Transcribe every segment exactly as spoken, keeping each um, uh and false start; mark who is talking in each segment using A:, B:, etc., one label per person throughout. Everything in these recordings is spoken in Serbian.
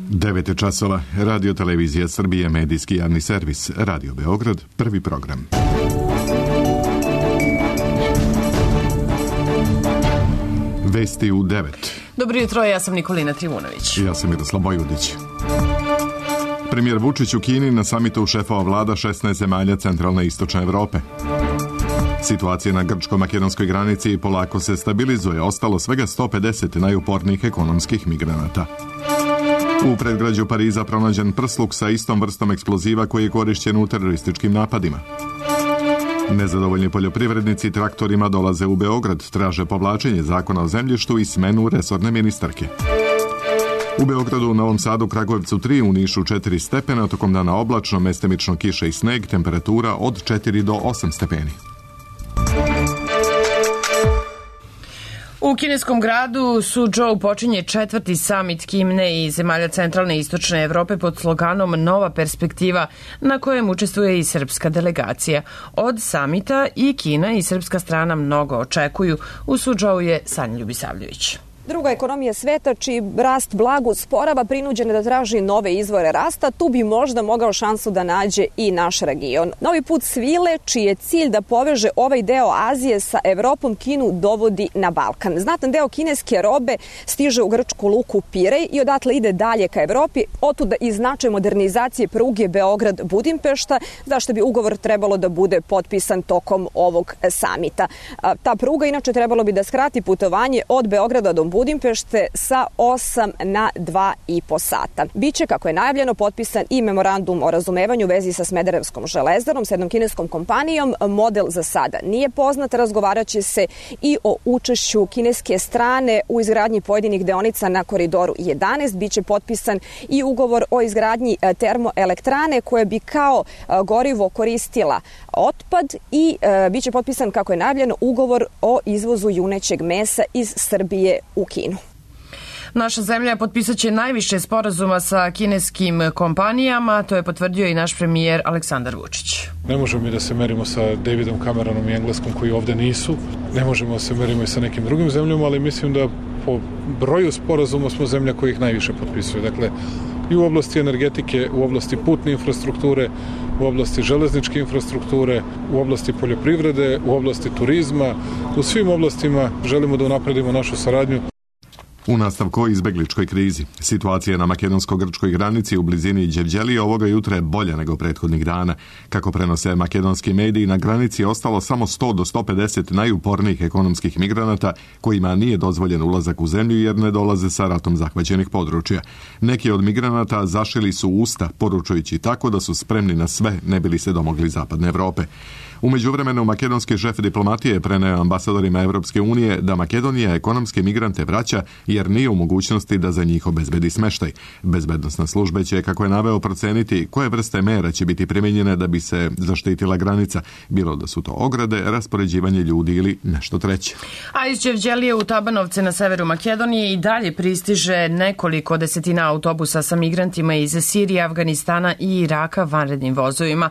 A: devet je časova, Radio Televizija Srbije, medijski javni servis, Radio Beograd, prvi program. Vesti u devet.
B: Dobro jutro, ja sam Nikolina Trivunović.
A: Ja sam Miroslav Bojudić. Premijer Vučić u Kini na samitu šefova vlada šesnaest zemalja centralne i istočne Evrope. Situacija na grčko-makedonskoj granici polako se stabilizuje, ostalo svega sto pedeset najupornijih ekonomskih migranata. U predgrađu Pariza pronađen prsluk sa istom vrstom eksploziva koji je korišćen u terorističkim napadima. Nezadovoljni poljoprivrednici traktorima dolaze u Beograd, traže povlačenje zakona o zemljištu i smenu resorne ministarke. U Beogradu, Novom Sadu, Kragujevcu tri, u Nišu četiri stepena, tokom dana oblačno, mestimično kiša i sneg, temperatura od četiri do osam stepeni.
B: U kineskom gradu Suzhou počinje četvrti samit Kine i zemalja centralne i istočne Evrope pod sloganom Nova perspektiva, na kojem učestvuje i srpska delegacija. Od samita i Kina i srpska strana mnogo očekuju. U Suzhou je Sanja Ljubisavljević.
C: Druga ekonomija sveta, čiji rast blago usporava, prinuđena da traži nove izvore rasta, tu bi možda mogao šansu da nađe i naš region. Novi put svile, čiji je cilj da poveže ovaj deo Azije sa Evropom, Kinu dovodi na Balkan. Znatan deo kineske robe stiže u grčku luku Pirej i odatle ide dalje ka Evropi, otuda i značaj modernizacije pruge Beograd-Budimpešta, zašto bi ugovor trebalo da bude potpisan tokom ovog samita. Ta pruga inače trebalo bi da skrati putovanje od Beograda do Budimpešte sa osam na dva i po sata. Biće, kako je najavljeno, potpisan i memorandum o razumevanju u vezi sa Smederevskom železarom, s jednom kineskom kompanijom. Model za sada nije poznat, razgovarat će se i o učešću kineske strane u izgradnji pojedinih deonica na koridoru jedanaest. Biće potpisan i ugovor o izgradnji termoelektrane koje bi kao gorivo koristila otpad i e, biće potpisan, kako je najavljeno, ugovor o izvozu junećeg mesa iz Srbije u Kinu.
B: Naša zemlja potpisat će najviše sporazuma sa kineskim kompanijama, to je potvrdio i naš premijer Aleksandar Vučić.
D: Ne možemo mi da se merimo sa Davidom Cameronom i Engleskom koji ovde nisu, ne možemo da se merimo i sa nekim drugim zemljama, ali mislim da po broju sporazuma smo zemlja koji ih najviše potpisuje. Dakle, i u oblasti energetike, u oblasti putne infrastrukture, u oblasti železničke infrastrukture, u oblasti poljoprivrede, u oblasti turizma, u svim oblastima želimo da unapredimo našu saradnju.
A: U nastavku o izbegličkoj krizi. Situacija na makedonsko-grčkoj granici u blizini Đevđelije ovoga jutra je bolja nego prethodnih dana. Kako prenose makedonski mediji, na granici je ostalo samo sto do sto pedeset najupornijih ekonomskih migranata kojima nije dozvoljen ulazak u zemlju jer ne dolaze sa ratom zahvaćenih područja. Neki od migranata zašili su usta, poručujući tako da su spremni na sve, ne bili se domogli zapadne Evrope. U međuvremenu, makedonski šef diplomatije preneo ambasadorima Evropske unije da Makedonija ekonomske migrante vraća jer nije u mogućnosti da za njih obezbedi smeštaj. Bezbednosna služba će, kako je naveo, proceniti koje vrste mera će biti primenjene da bi se zaštitila granica, bilo da su to ograde, raspoređivanje ljudi ili nešto treće.
B: A iz Đevđelije u Tabanovce na severu Makedonije i dalje pristiže nekoliko desetina autobusa sa migrantima iz Sirije, Afganistana i Iraka vanrednim vozovima.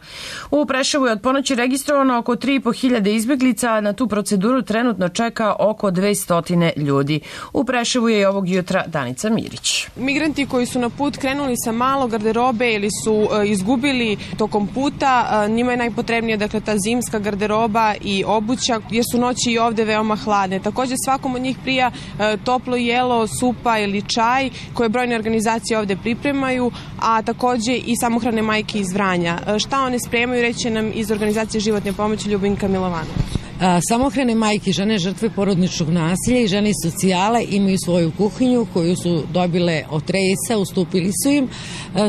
B: U Preševu je od ponoći registrovano oko tri i po hiljade izbeglica, na tu proceduru trenutno čeka oko dvesta ljudi. U Preševu je i ovog jutra Danica Mirić.
E: Migranti koji su na put krenuli sa malo garderobe ili su e, izgubili tokom puta, e, njima je najpotrebnija dakle ta zimska garderoba i obuća, jer su noći i ovde veoma hladne. Takođe svakom od njih prija e, toplo jelo, supa ili čaj koje brojne organizacije ovde pripremaju, a takođe i samohrane majke iz Vranja. E, šta one spremaju, reće nam iz organizacije Životne pomoći Ljubinka Milovanović.
F: Samohrane majke, žene žrtve porodičnog nasilja i žene iz socijale imaju svoju kuhinju koju su dobile od Rejsa, ustupili su im.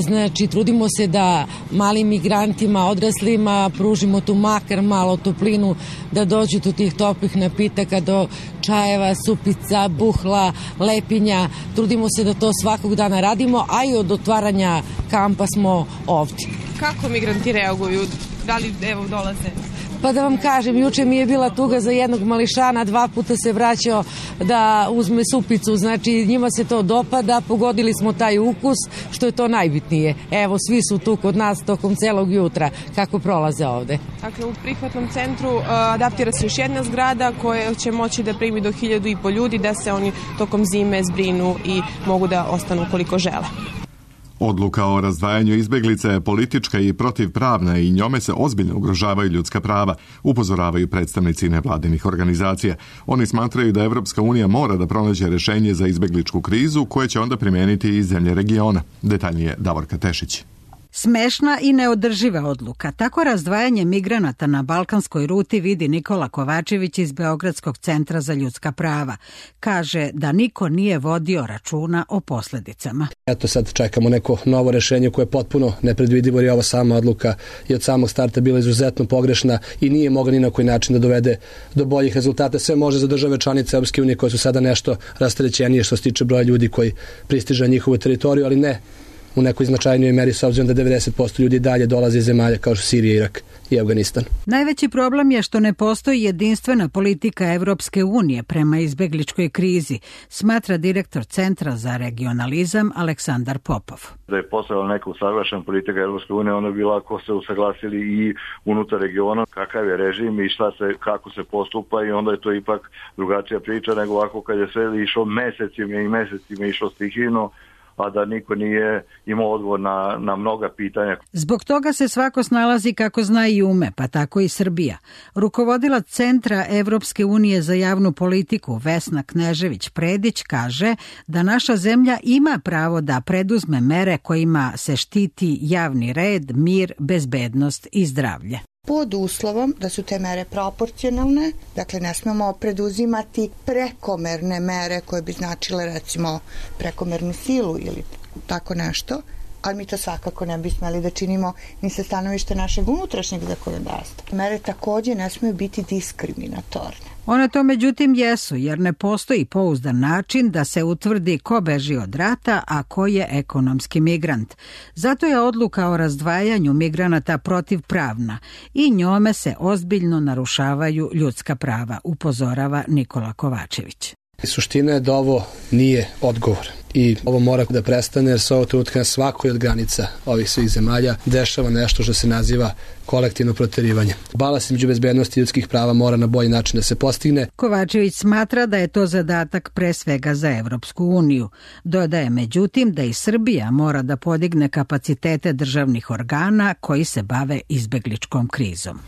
F: Znači, trudimo se da malim migrantima, odraslima pružimo tu makar malo toplinu, da dođu do tih toplih napitaka, do čajeva, supica, buhla, lepinja. Trudimo se da to svakog dana radimo, a i od otvaranja kampa smo ovdje.
E: Kako migranti reaguju? Da li evo dolaze?
F: Pa da vam kažem, juče mi je bila tuga za jednog mališana, dva puta se vraćao da uzme supicu, znači njima se to dopada, pogodili smo taj ukus, što je to najbitnije. Evo, svi su tu kod nas tokom celog jutra, kako prolaze ovde.
E: Dakle, u prihvatnom centru uh, adaptira se još jedna zgrada koja će moći da primi do hiljadu i po ljudi, da se oni tokom zime zbrinu i mogu da ostanu koliko žele.
A: Odluka o razdvajanju izbeglica je politička i protivpravna i njome se ozbiljno ugrožavaju ljudska prava, upozoravaju predstavnici nevladinih organizacija. Oni smatraju da Evropska unija mora da pronađe rešenje za izbegličku krizu koje će onda primeniti i zemlje regiona. Detaljnije Davorka Tešić.
G: Smešna i neodrživa odluka. Tako razdvajanje migranata na balkanskoj ruti vidi Nikola Kovačević iz Beogradskog centra za ljudska prava. Kaže da niko nije vodio računa o posledicama.
H: Eto sad čekamo neko novo rešenje koje je potpuno nepredvidivo, jer je ova sama odluka i od samog starta bila izuzetno pogrešna i nije mogla ni na koji način da dovede do boljih rezultata. Sve može za države članice Evropske unije koje su sada nešto rasterećenije što se tiče broja ljudi koji pristiže na njihovu teritoriju, ali ne u nekoj značajnijoj meri, s obzirom da devedeset posto ljudi dalje dolaze iz zemalja kao što Sirija, Irak i Afganistan.
G: Najveći problem je što ne postoji jedinstvena politika Evropske unije prema izbegličkoj krizi, smatra direktor Centra za regionalizam Aleksandar Popov.
I: Da je postojala neka usaglašena politika Evropske unije, onda bi lako se usaglasili i unutar regiona kakav je režim i šta se, kako se postupa, i onda je to ipak drugačija priča nego ovako kad je sve išlo mesecima i mesecima išlo stihijno, a da niko nije imao odgovor na, na mnoga pitanja.
G: Zbog toga se svako snalazi kako zna i ume, pa tako i Srbija. Rukovodilac Centra Evropske unije za javnu politiku Vesna Knežević-Predić kaže da naša zemlja ima pravo da preduzme mere kojima se štiti javni red, mir, bezbednost i zdravlje.
J: Pod uslovom da su te mere proporcionalne, dakle ne smemo preduzimati prekomerne mere koje bi značile recimo prekomernu silu ili tako nešto, ali mi to svakako ne bi smeli da činimo ni sa stanovišta našeg unutrašnjeg zakonodavstva. Mere takođe ne smiju biti diskriminatorne.
G: One to međutim jesu, jer ne postoji pouzdan način da se utvrdi ko beži od rata, a ko je ekonomski migrant. Zato je odluka o razdvajanju migranata protivpravna i njome se ozbiljno narušavaju ljudska prava, upozorava Nikola Kovačević.
H: Suština je da ovo nije odgovor i ovo mora da prestane, jer se ovo trenutka na svakoj od granica ovih svih zemalja dešava nešto što se naziva kolektivno proterivanje. Balans između bezbednosti i ljudskih prava mora na bolji način da se postigne.
G: Kovačević smatra da je to zadatak pre svega za Evropsku uniju. Dodaje međutim da i Srbija mora da podigne kapacitete državnih organa koji se bave izbegličkom krizom.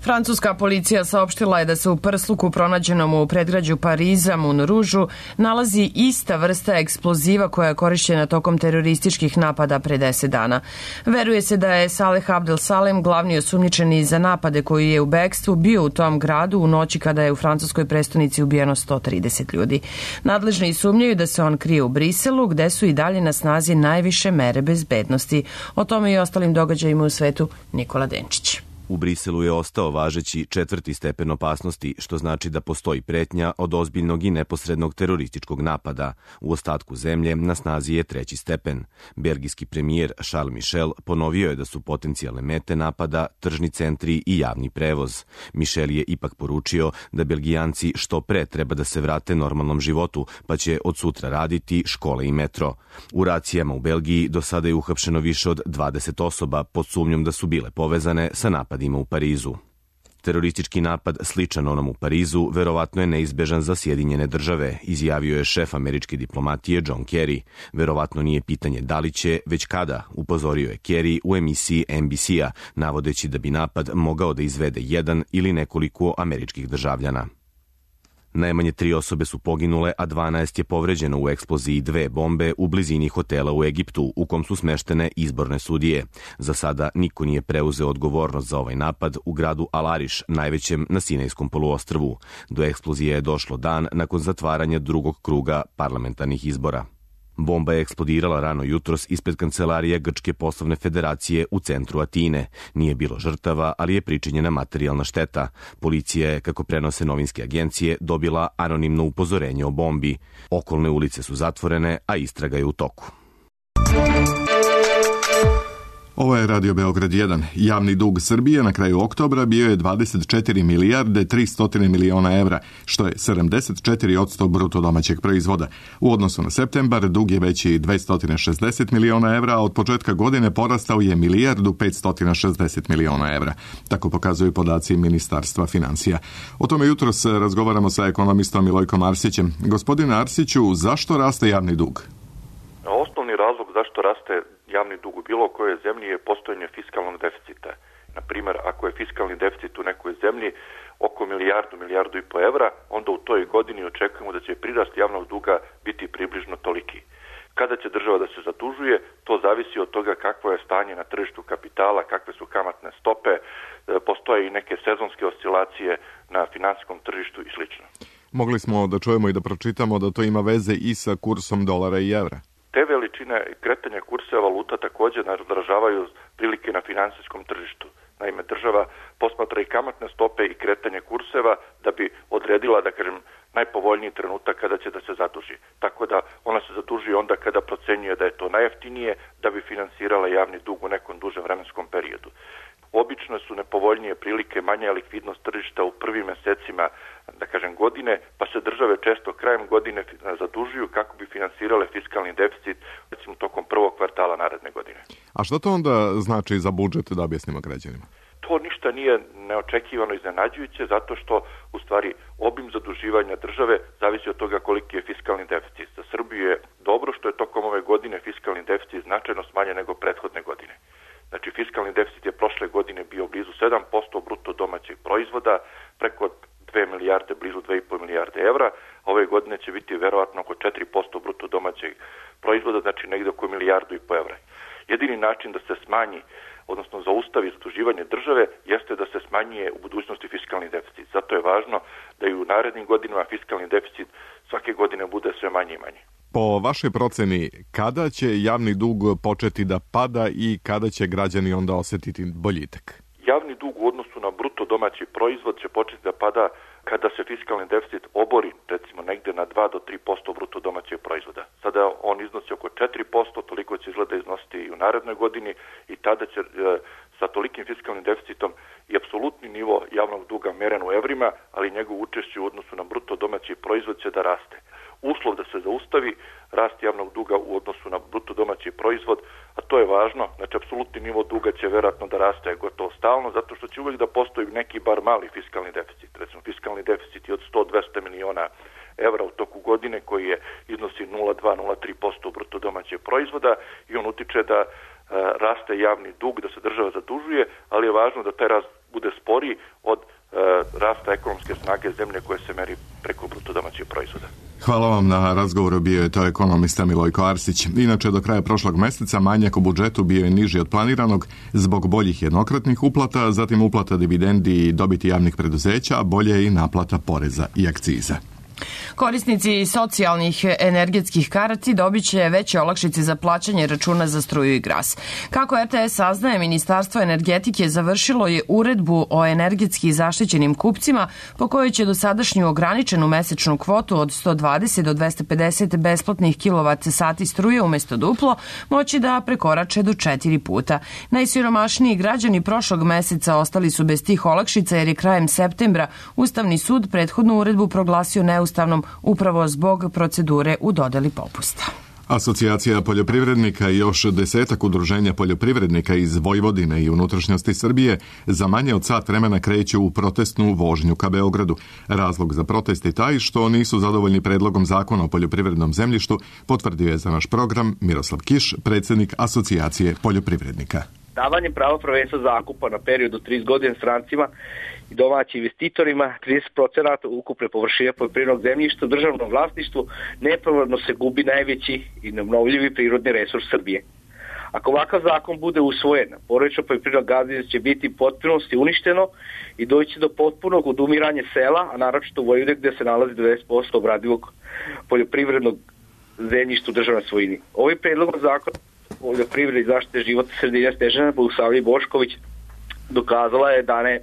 B: Francuska policija saopštila je da se u prsluku pronađenom u predgrađu Pariza, Moulin Rouge, nalazi ista vrsta eksploziva koja je korišćena tokom terorističkih napada pre deset dana. Veruje se da je Saleh Abdel Salem, glavni osumnjičeni za napade koji je u bekstvu, bio u tom gradu u noći kada je u francuskoj prestonici ubijeno sto trideset ljudi. Nadležni sumnjaju da se on krije u Briselu, gde su i dalje na snazi najviše mere bezbednosti. O tome i ostalim događajima u svetu Nikola Denčić.
K: U Briselu je ostao važeći četvrti stepen opasnosti, što znači da postoji pretnja od ozbiljnog i neposrednog terorističkog napada. U ostatku zemlje na snazi je treći stepen. Belgijski premijer Charles Michel ponovio je da su potencijalne mete napada tržni centri i javni prevoz. Michel je ipak poručio da Belgijanci što pre treba da se vrate normalnom životu, pa će od sutra raditi škole i metro. U racijama u Belgiji do sada je uhapšeno više od dvadeset osoba pod sumnjom da su bile povezane sa napadima u Parizu. Teroristički napad sličan onom u Parizu verovatno je neizbežan za Sjedinjene države, izjavio je šef američke diplomatije John Kerry. Verovatno nije pitanje da li će, već kada, upozorio je Kerry u emisiji N B C-a, navodeći da bi napad mogao da izvede jedan ili nekoliko američkih državljana. Najmanje tri osobe su poginule, a dvanaest je povređeno u eksploziji dve bombe u blizini hotela u Egiptu, u kom su smeštene izborne sudije. Za sada niko nije preuzeo odgovornost za ovaj napad u gradu Al-Ariš, najvećem na Sinajskom poluostrvu. Do eksplozije je došlo dan nakon zatvaranja drugog kruga parlamentarnih izbora. Bomba je eksplodirala rano jutros ispred kancelarije Grčke poslovne federacije u centru Atine. Nije bilo žrtava, ali je pričinjena materijalna šteta. Policija je, kako prenose novinske agencije, dobila anonimno upozorenje o bombi. Okolne ulice su zatvorene, a istraga je u toku.
A: Ovo je Radio Beograd jedan. Javni dug Srbije na kraju oktobra bio je dvadeset četiri milijarde tristo miliona evra, što je sedamdeset četiri posto bruto domaćeg proizvoda. U odnosu na septembar dug je veći dvesta šezdeset miliona evra, a od početka godine porastao je milijardu petsto šezdeset miliona evra. Tako pokazuju podaci Ministarstva financija. O tome jutros razgovaramo sa ekonomistom Milojkom Arsićem. Gospodine Arsiću, zašto raste javni dug?
L: Osnovni razlog zašto raste javni dug u bilo kojoj zemlji je postojanje fiskalnog deficita. Na primjer, ako je fiskalni deficit u nekoj zemlji oko milijardu, milijardu i po evra, onda u toj godini očekujemo da će prirast javnog duga biti približno toliki. Kada će država da se zadužuje, to zavisi od toga kakvo je stanje na tržištu kapitala, kakve su kamatne stope, postoje i neke sezonske oscilacije na finansijskom tržištu i sl.
A: Mogli smo da čujemo i da pročitamo da to ima veze i sa kursom dolara i evra.
L: Te veličine kretanja kurseva valuta također odražavaju prilike na finansijskom tržištu. Naime, država posmatra i kamatne stope i kretanje kurseva da bi odredila, da kažem, najpovoljniji trenutak kada će da se zaduži. Tako da ona se zaduži onda kada procenjuje da je to najjeftinije da bi finansirala javni dug u nekom dužem vremenskom periodu. Obično su nepovoljnije prilike, manja likvidnost tržišta u prvim mesecima, da kažem, godine, pa se države često krajem godine zadužuju kako bi finansirale fiskalni deficit, recimo tokom prvog kvartala naredne godine.
A: A što to onda znači za budžet, da objasnimo građanima?
L: To ništa nije neočekivano iznenađujuće, zato što u stvari obim zaduživanja države zavisi od toga koliki je fiskalni deficit. Za Srbiju je dobro što je tokom ove godine fiskalni deficit značajno smanjen nego prethodne godine. Znači, fiskalni deficit je prošle godine bio blizu sedam posto bruto domaćeg proizvoda, preko dve milijarde, blizu dve i po milijarde evra, a ove godine će biti verovatno oko četiri posto bruto domaćeg proizvoda, znači negde oko milijardu i po evra. Jedini način da se smanji, odnosno zaustavi zaduživanje države, jeste da se smanjuje u budućnosti fiskalni deficit. Zato je važno da i u narednim godinama fiskalni deficit svake godine bude sve manje i manje.
A: Po vašoj proceni, kada će javni dug početi da pada i kada će građani onda osetiti boljitak?
L: Javni dug u odnosu na bruto domaći proizvod će početi da pada kada se fiskalni deficit obori, recimo negde na dva do tri posto bruto domaćeg proizvoda. Sada on iznosi oko četiri posto, toliko će izgleda iznositi i u narednoj godini i tada će sa tolikim fiskalnim deficitom i apsolutni nivo javnog duga meren u evrima, ali njegov učešće u odnosu na bruto domaći proizvod će da raste. Uslov da se zaustavi rast javnog duga u odnosu na bruto domaći proizvod, a to je važno, znači apsolutni nivo duga će verovatno da raste gotovo stalno, zato što će uvijek da postoji neki bar mali fiskalni deficit. Recimo, fiskalni deficit je od sto do dvesta miliona evra u toku godine, koji je iznosi nula zarez dva do nula zarez tri posto bruto domaćeg proizvoda i on utiče da e, raste javni dug, da se država zadužuje, ali je važno da taj rast bude sporiji od e, rasta ekonomske snage zemlje koje se meri preko bruto domaćeg proizvoda.
A: Hvala vam na razgovoru, bio je to ekonomista Milojko Arsić. Inače, do kraja prošlog meseca manjak u budžetu bio je niži od planiranog zbog boljih jednokratnih uplata, zatim uplata dividendi i dobiti javnih preduzeća, a bolje je i naplata poreza i akciza.
B: Korisnici socijalnih energetskih karti dobit će veće olakšice za plaćanje računa za struju i gas. Kako R T S saznaje, Ministarstvo energetike završilo je uredbu o energetski zaštićenim kupcima po kojoj će dosadašnju ograničenu mesečnu kvotu od sto dvadeset do dvesta pedeset besplatnih kilovat sati struje umesto duplo moći da prekorače do četiri puta. Najsiromašniji građani prošlog meseca ostali su bez tih olakšica jer je krajem septembra Ustavni sud prethodnu uredbu proglasio neustavnom upravo zbog procedure u dodeli popusta.
A: Asocijacija poljoprivrednika i još desetak udruženja poljoprivrednika iz Vojvodine i unutrašnjosti Srbije za manje od sat vremena kreću u protestnu vožnju ka Beogradu. Razlog za protest je taj što nisu zadovoljni predlogom zakona o poljoprivrednom zemljištu, potvrdio je za naš program Miroslav Kiš, predsjednik Asocijacije poljoprivrednika.
M: Davanje prava prvenstva zakupa na period od trideset godina strancima i domaćim investitorima, trideset procenata ukupne površine poljoprivrednog zemljišta u državnom vlasništvu, nepravedno se gubi najveći i neobnovljivi prirodni resurs Srbije. Ako ovakav zakon bude usvojen, porodično poljoprivredno gazdinstvo će biti potpunosti uništeno i doći do potpunog odumiranja sela, a naročito u Vojvodini gde se nalazi devedeset posto obradivog poljoprivrednog zemljišta u državnoj svojini. Ovim predlogom zakona poljoprivrede i zaštite životne sredine Snežana Bogosavljević Bošković dokazala je da ne,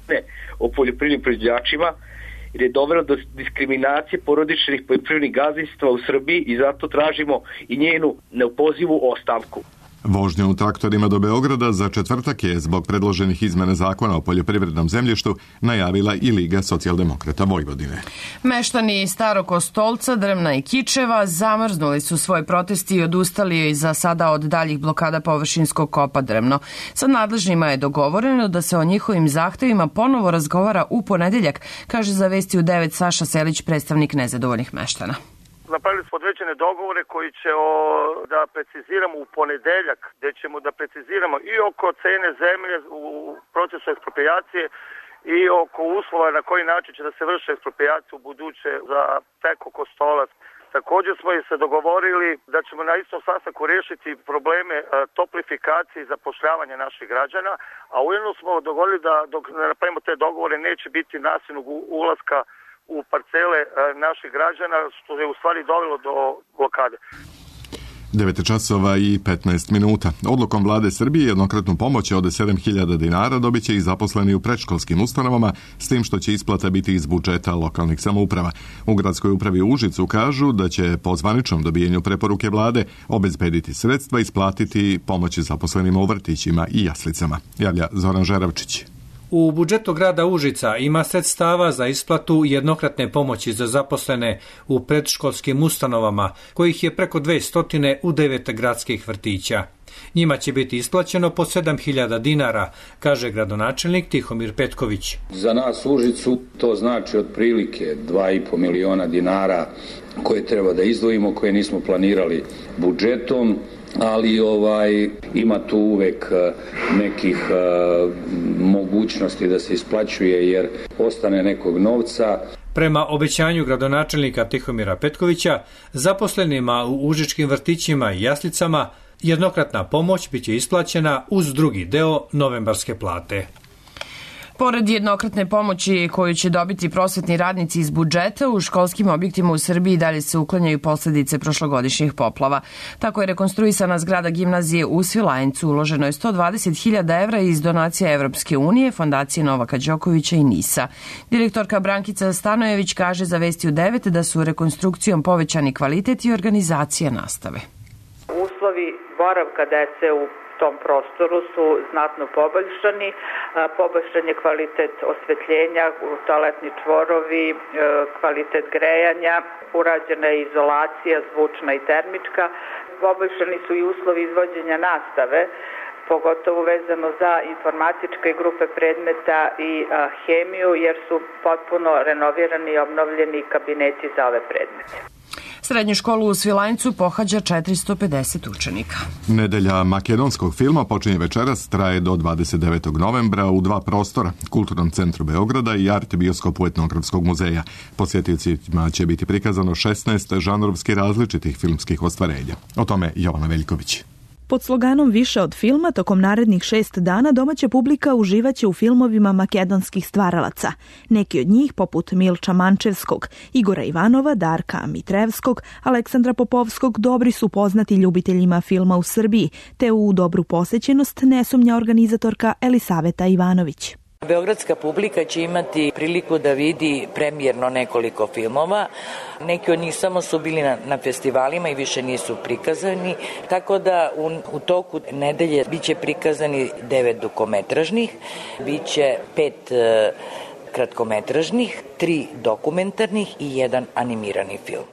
M: ne o poljoprivrednim proizvođačima jer je dovelo do diskriminacije porodičnih poljoprivrednih gazdinstva u Srbiji i zato tražimo i njenu neopozivu ostavku.
A: Vožnju u traktorima do Beograda za četvrtak je zbog predloženih izmena zakona o poljoprivrednom zemljištu najavila i Liga socijaldemokrata Vojvodine.
B: Meštani Starog Kostolca, Drmna i Kičeva zamrznuli su svoj protesti i odustali za sada od daljih blokada površinskog kopa Drmno. Sa nadležnima je dogovoreno da se o njihovim zahtevima ponovo razgovara u ponedeljak, kaže za Vesti u devet Saša Selić, predstavnik nezadovoljnih meštana.
N: napravili smo određene dogovore koji će o, da preciziramo u ponedeljak, gde ćemo da preciziramo i oko cene zemlje u procesu eksproprijacije i oko uslova na koji način će da se vrši eksproprijacija u buduće za Peko Kostolac. Također smo i se dogovorili da ćemo na istom sastanku rešiti probleme toplifikacije i zapošljavanja naših građana, a ujedno smo dogovorili da dok napravimo te dogovore neće biti nasilnog ulaska u parcele naših građana, što je u stvari dovelo do blokade.
A: devet časova i petnaest minuta. Odlukom vlade Srbije jednokratnu pomoć od sedam hiljada dinara dobit će i zaposleni u predškolskim ustanovama, s tim što će isplata biti iz budžeta lokalnih samouprava. U gradskoj upravi u Užicu kažu da će po zvaničnom dobijenju preporuke vlade obezbediti sredstva i isplatiti pomoći zaposlenima u vrtićima i jaslicama. Javlja Zoran Žeravčić.
O: U budžetu grada Užica ima sredstava za isplatu jednokratne pomoći za zaposlene u predškolskim ustanovama, kojih je preko dvesta u devet gradskih vrtića. Njima će biti isplaćeno po sedam hiljada dinara, kaže gradonačelnik Tihomir Petković.
P: Za nas u Užicu to znači otprilike dva i po miliona dinara koje treba da izdvojimo, koje nismo planirali budžetom. Ali ovaj ima tu uvek nekih uh, mogućnosti da se isplaćuje jer ostane nekog novca.
O: Prema obećanju gradonačelnika Tihomira Petkovića, zaposlenima u užičkim vrtićima i jaslicama jednokratna pomoć biće isplaćena uz drugi deo novembarske plate.
B: Pored jednokratne pomoći koju će dobiti prosvetni radnici iz budžeta, u školskim objektima u Srbiji dalje se uklanjaju posledice prošlogodišnjih poplava. Tako je rekonstruisana zgrada gimnazije u Svilajncu. Uloženo je sto dvadeset hiljada evra iz donacija Evropske unije, Fondacije Novaka Đokovića i NIS-a. Direktorka Brankica Stanojević kaže za Vesti u devet da su rekonstrukcijom povećani kvalitet i organizacija nastave.
Q: Uslovi boravka dece u tom prostoru su znatno poboljšani. Poboljšan je kvalitet osvetljenja, toaletni čvorovi, kvalitet grejanja, urađena je izolacija zvučna i termička. Poboljšani su i uslovi izvođenja nastave, pogotovo vezano za informatičke grupe predmeta i hemiju, jer su potpuno renovirani i obnovljeni kabineti za ove predmete.
B: Srednju školu u Svilajncu pohađa četiristo pedeset učenika.
A: Nedelja makedonskog filma počinje večeras, traje do dvadeset devetog novembra u dva prostora, Kulturnom centru Beograda i Art bioskopu Etnografskog muzeja. Posjetiocima će biti prikazano šesnaest žanrovski različitih filmskih ostvarenja. O tome Jovana Veljković.
R: Pod sloganom Više od filma, tokom narednih šest dana domaća publika uživaće u filmovima makedonskih stvaralaca. Neki od njih, poput Milča Mančevskog, Igora Ivanova, Darka Mitrevskog, Aleksandra Popovskog, dobri su poznati ljubiteljima filma u Srbiji, te u dobru posećenost ne sumnja organizatorka Elisaveta Ivanović.
S: Beogradska publika će imati priliku da vidi premijerno nekoliko filmova. Neki od njih samo su bili na, na festivalima i više nisu prikazani, tako da u, u toku nedelje biće prikazani devet dugometražnih, biće pet e, kratkometražnih, tri dokumentarnih i jedan animirani film.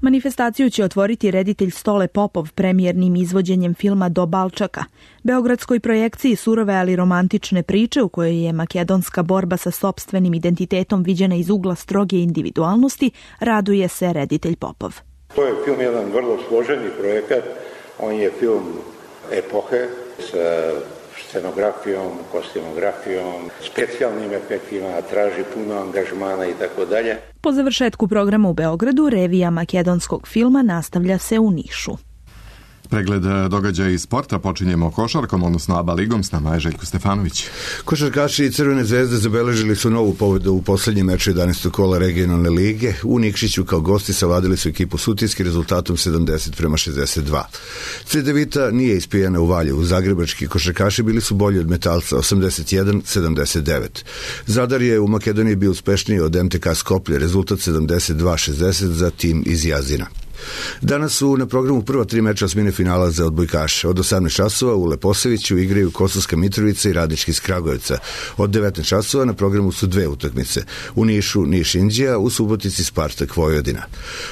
R: Manifestaciju će otvoriti reditelj Stole Popov premijernim izvođenjem filma Do Balčaka. Beogradskoj projekciji surove ali romantične priče u kojoj je makedonska borba sa sopstvenim identitetom viđena iz ugla stroge individualnosti, raduje se reditelj Popov.
T: To je film jedan vrlo složeni projekat. On je film epohe sa scenografijom, kostimografijom, specijalnim efektima, traži puno angažmana i tako dalje.
R: Po završetku programa u Beogradu, revija makedonskog filma nastavlja se u Nišu.
A: Pregled događaja iz sporta počinjemo košarkom, odnosno ABA ligom, s nama je Željko Stefanović.
U: Košarkaši Crvene zvezde zabeležili su novu pobedu u poslednjem meču jedanaestog kola regionalne lige. U Nikšiću kao gosti savladili su ekipu Sutijski rezultatom sedamdeset prema šezdeset dva. Cedevita nije ispijena u Valjevu. Zagrebački košarkaši bili su bolji od Metalca osamdeset jedan sedamdeset devet. Zadar je u Makedoniji bio uspešniji od em te ka Skoplje, rezultat sedamdeset dva šezdeset za tim iz Jazina. Danas su na programu prva tri meča osmine finala za odbojkaše. Od osamnaest časova u Leposaviću igraju Kosovska Mitrovica i Radnički iz Kragujevca. Od devetnaest časova na programu su dve utakmice. U Nišu Niš Inđija, u Subotici Spartak Vojvodina.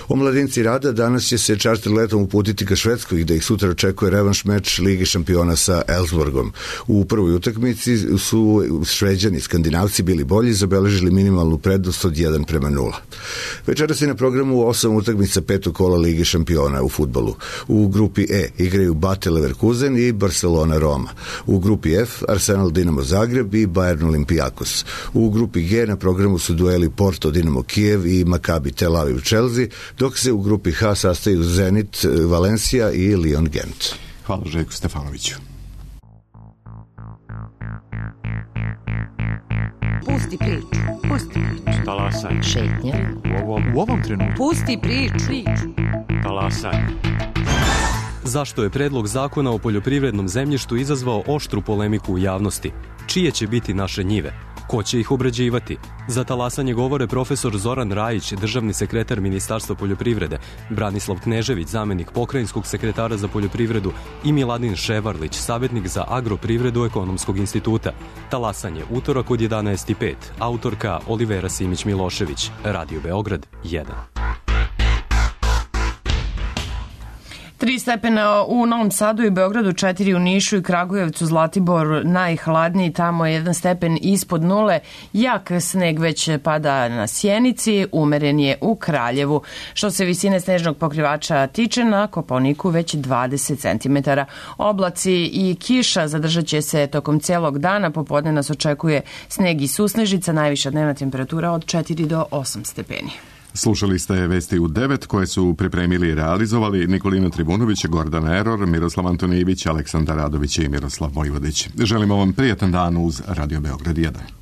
U: Omladinci Rada danas će se čarter letom uputiti ka Švedskoj gde ih sutra očekuje revanš meč Lige šampiona sa Elfsborgom. U prvoj utakmici su Šveđani Skandinavci bili bolji, zabeležili minimalnu prednost od jedan prema nula. Večeras je na programu osam utakmica petog kola Lige šampiona u fudbalu. U grupi E igraju Bate Leverkusen i Barcelona Roma. U grupi F Arsenal Dinamo Zagreb i Bayern Olympiakos. U grupi G na programu su dueli Porto Dinamo Kijev i Maccabi Tel Aviv Chelsea, dok se u grupi H sastaju Zenit Valencija i Lyon Gent.
A: Hvala Željku Stefanoviću.
C: Pusti priču, pusti priču.
V: Talasaj.
C: Šetnja.
V: U ovom, u ovom trenutku.
C: Pusti priču. priču.
V: Talasaj.
W: Zašto je predlog zakona o poljoprivrednom zemljištu izazvao oštru polemiku u javnosti? Čije će biti naše njive? Ko će ih obrađivati? Za talasanje govore profesor Zoran Rajić, državni sekretar Ministarstva poljoprivrede, Branislav Knežević, zamenik pokrajinskog sekretara za poljoprivredu i Miladin Ševarlić, savjetnik za agroprivredu Ekonomskog instituta. Talasanje utorak od jedanaest i pet. Autorka Olivera Simić-Milošević. Radio Beograd jedan.
B: Tri stepena u Novom Sadu i Beogradu, četiri u Nišu i Kragujevcu, Zlatibor najhladniji, tamo je jedan stepen ispod nule, jak sneg već pada na Sjenici, umeren je u Kraljevu. Što se visine snežnog pokrivača tiče, na Kopaoniku već dvadeset centimetara. Oblaci i kiša zadržat će se tokom celog dana, popodne nas očekuje sneg i susnežica, najviša dnevna temperatura od četiri do osam stepeni.
A: Slušali ste vesti u devet koje su pripremili i realizovali Nikolina Tribunović, Gordana Eror, Miroslav Antonijević, Aleksandar Radović i Miroslav Vojvodić. Želimo vam prijatan dan uz Radio Beograd jedan.